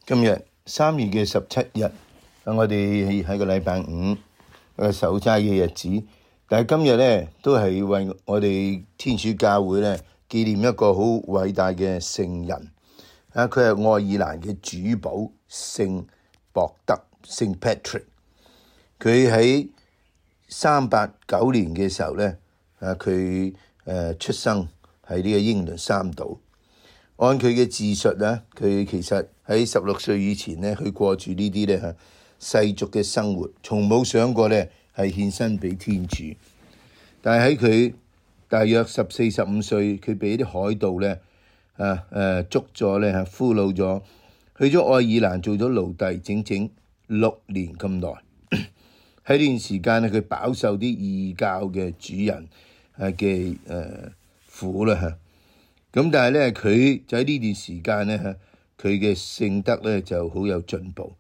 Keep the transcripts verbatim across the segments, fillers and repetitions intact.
今日三月嘅十七日，我哋喺個禮拜五個守齋嘅日子，但係今日咧都係為我哋天主教會咧紀念一個好偉大嘅聖人啊！佢係愛爾蘭嘅主保聖博德聖 Patrick。佢喺三八九年嘅時候咧，啊佢誒出生喺呢個英倫三島。按佢嘅自述咧，佢其實喺十六歲以前咧，佢過住呢啲咧世俗嘅生活，從冇想過咧係獻身俾天主。但係喺佢大約十四、十五歲，佢俾啲海盜咧啊誒捉咗咧，俘虜咗，去咗愛爾蘭做咗奴隸，整整六年咁耐。喺呢段時間咧，佢飽受啲異教嘅主人誒嘅誒苦啦嚇。咁但係咧，佢就喺呢段時間咧，佢嘅聖德咧就好有進步。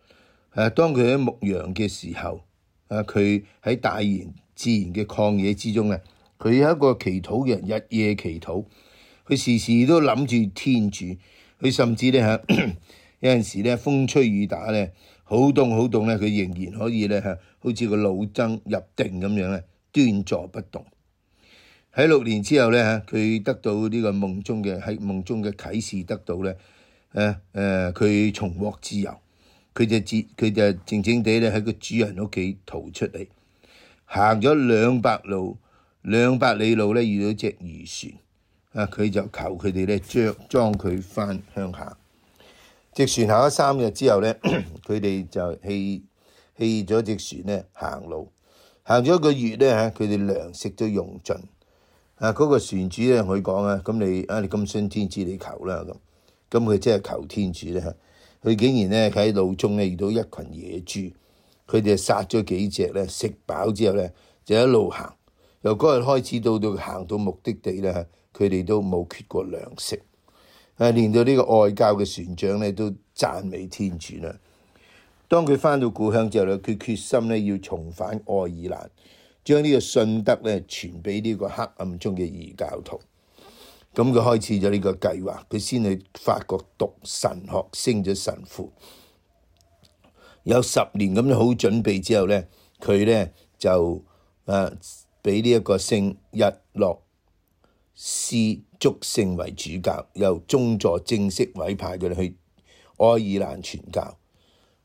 誒，當佢喺牧羊嘅時候，啊，佢喺大然自然嘅曠野之中咧，佢係一個祈禱嘅人，日夜祈禱。佢時時都諗住天主。佢甚至咧嚇有陣時咧風吹雨打咧，好凍好凍咧，佢仍然可以咧嚇，好似個老僧入定咁樣咧，端坐不動。喺六年之後咧嚇，佢得到呢個夢中嘅喺夢中嘅啟示，得到咧誒誒，佢重獲自由，佢就自佢就靜靜地咧喺個主人屋企逃出嚟，行咗兩百路兩百里路咧，遇到隻漁船啊，佢就求佢哋咧將裝佢翻鄉下。隻船行咗三日之後咧，佢哋就棄棄咗隻船咧行路，行咗一個月咧嚇，佢哋糧食都用盡。啊！嗰、那個船主咧，佢講啊，咁你啊，你咁信天主，你求啦咁。咁佢真係求天主咧，佢竟然咧喺路中咧遇到一群野豬，佢哋殺咗幾隻咧，食飽之後咧就一路行。由嗰日開始到到行到目的地咧，佢哋都冇缺過糧食。啊！連到呢個外教嘅船長咧都讚美天主啦。當佢翻到故鄉之後咧，佢決心咧要重返愛爾蘭。將呢個信德咧傳俾呢個黑暗中嘅異教徒，咁佢開始咗呢個計劃，佢先去法國讀神學，升咗神父，有十年咁樣好準備之後咧，佢咧就誒俾呢一個聖日洛斯祝聖為主教，由宗座正式委派佢哋去愛爾蘭傳教。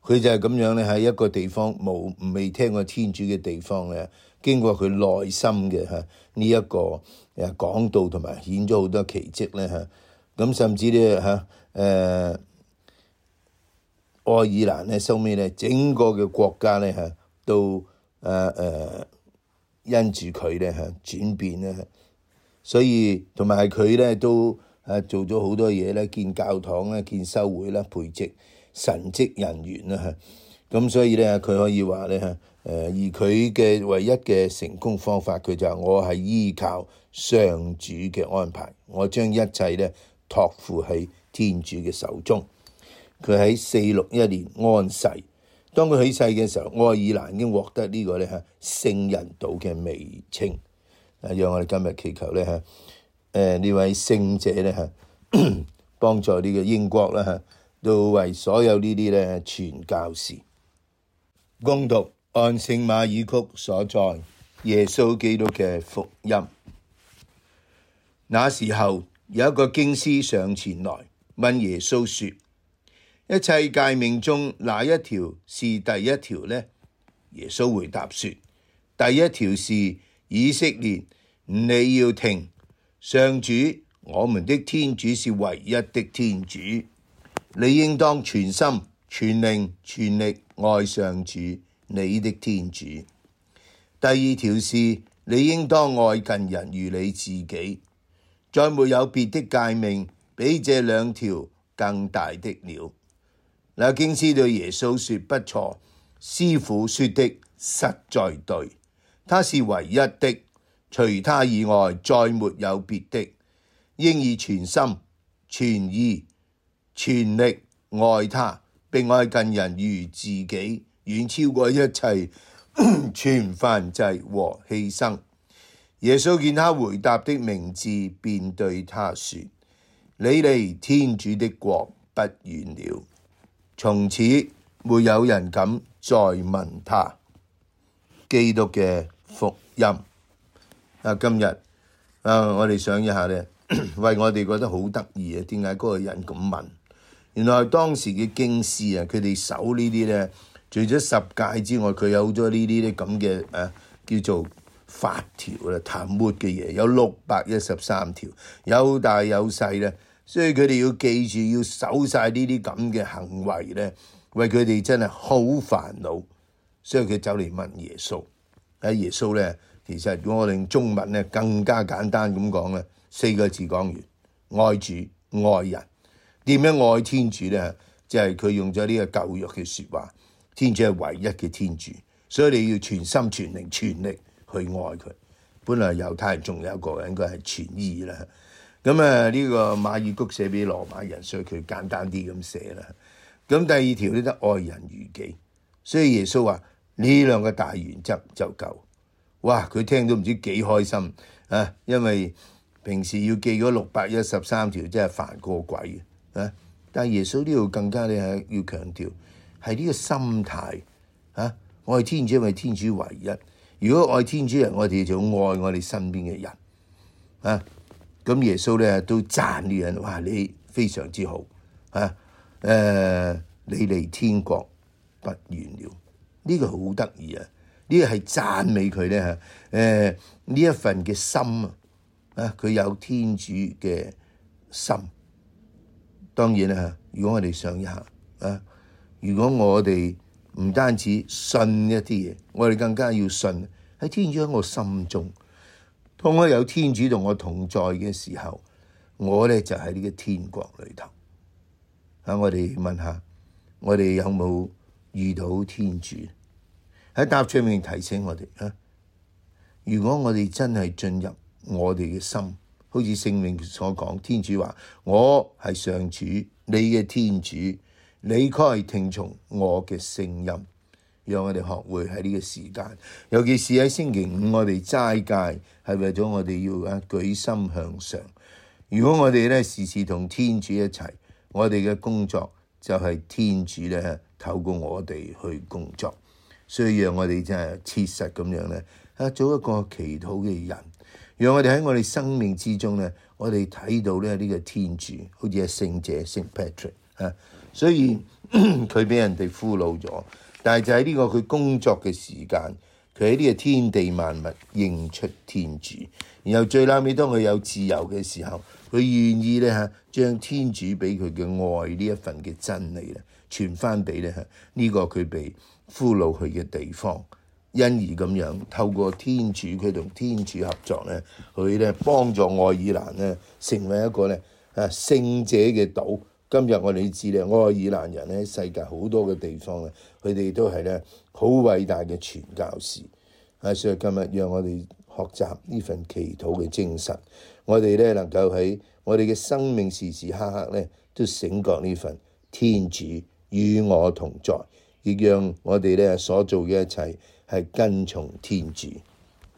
佢就係咁樣咧，喺一個地方冇未聽過天主嘅地方咧，經過佢內心嘅嚇呢一個誒講道同埋顯咗好多奇蹟咧嚇，咁甚至咧嚇誒愛爾蘭咧收尾咧整個嘅國家咧嚇都誒誒因住佢咧嚇轉變咧，所以同埋佢咧都誒做咗好多嘢咧，建教堂咧，建修會啦，培植神職人員啦嚇，咁所以咧佢可以話咧嚇，誒而佢嘅唯一嘅成功方法，佢就係我係依靠上主嘅安排，我將一切咧託付喺天主嘅手中。佢喺四六一年安逝，當佢起世嘅時候，愛爾蘭已經獲得呢個咧嚇聖人島嘅美稱。啊，讓我哋今日祈求咧嚇，誒呢位聖者咧嚇幫助呢個英國啦嚇。都為所有呢啲咧傳教士。恭讀按聖馬爾谷所載耶穌基督嘅福音。那時候有一個經師上前來問耶穌說：一切誡命中哪一條是第一條呢？耶穌回答說：第一條是以色列，你要聽，上主我們的天主是唯一的天主。你應當全心、全靈、全力愛上主你的天主。第二條是你應當愛近人如你自己。再沒有別的誡命比這兩條更大的了。那經師對耶穌說：不錯，師傅說的實在對，他是唯一的，除他以外再沒有別的。應以全心、全意、全力愛他，並愛近人如自己，遠超過一切全燔祭和犧牲。耶穌見他回答的明智，便對他說：你離天主的國不遠了。從此沒有人敢再問他。基督嘅福音啊，今日啊，我哋想一下咧，為我哋覺得好得意啊！點解嗰個人咁問？原來當時嘅經師啊，佢哋守呢啲咧，除咗十誡之外，佢有好多呢啲咧咁嘅誒叫做法條啦、談末嘅嘢，有六百一十三條，有大有細咧，所以佢哋要記住要守晒呢啲咁嘅行為咧，為佢哋真係好煩惱。所以佢走嚟問耶穌。喺耶穌咧，其實如果我哋用中文咧更加簡單咁講咧，四個字講完：愛主愛人。點樣愛天主咧？即係佢用咗呢個舊約嘅説話，天主係唯一嘅天主，所以你要全心全靈全力去愛佢。本來猶太人仲有一個應該係全意啦。咁啊呢個馬爾谷寫俾羅馬人，所以佢簡單啲咁寫啦。咁第二條呢，得愛人如己，所以耶穌話呢兩個大原則就夠。哇！佢聽到唔知幾開心啊，因為平時要記嗰六百一十三條真係煩過鬼啊！但係耶穌呢度更加咧係要強調係呢個心態啊！愛天主，因為天主唯一。如果愛天主人，我哋就愛我哋身邊嘅人啊！咁耶穌咧都讚呢人，哇！你非常之好啊！誒、呃，你離天國不遠了，呢、這個好得意啊！呢個係讚美佢咧嚇，誒呢一份嘅心啊，啊佢有天主嘅心。當然啦，如果我哋想一下啊，如果我哋唔單止信一啲嘢，我哋更加要信喺天主喺我心中。當我有天主同我同在嘅時候，我咧就喺呢個天國裏頭。啊，我哋問下，我哋有冇遇到天主？喺答唱裏面提醒我哋啊，如果我哋真係進入我哋嘅心，好似聖靈所講，天主話：我係上主，你嘅天主，你該聽從我嘅聲音。讓我哋學會喺呢個時間，尤其是喺星期五，我哋齋戒係為咗我哋要啊舉心向上。如果我哋咧時時同天主一齊，我哋嘅工作就係天主咧透過我哋去工作。所以讓我哋真係切實咁樣咧，啊做一個祈禱嘅人，讓我哋喺我哋生命之中咧，我哋睇到咧呢個天主，好似係聖者聖 Patrick 啊，所以佢俾人哋俘虜咗，但係就喺呢個佢工作嘅時間，佢喺呢個天地萬物認出天主，然後最後尾當佢有自由嘅時候，佢願意咧嚇將天主俾佢嘅愛呢一份嘅真理咧傳翻俾咧嚇呢個佢被俘虜去嘅地方，因而咁樣透過天主，佢同天主合作咧，佢咧幫助愛爾蘭咧成為一個咧啊聖者嘅島。今日我哋知咧，愛爾蘭人咧喺世界好多嘅地方咧，佢哋都係咧好偉大嘅傳教士。啊，所以今日讓我哋學習呢份祈禱嘅精神，我哋咧能夠喺我哋嘅生命時時刻刻咧都醒覺呢份天主與我同在。亦讓我哋咧所做嘅一切係跟從天主。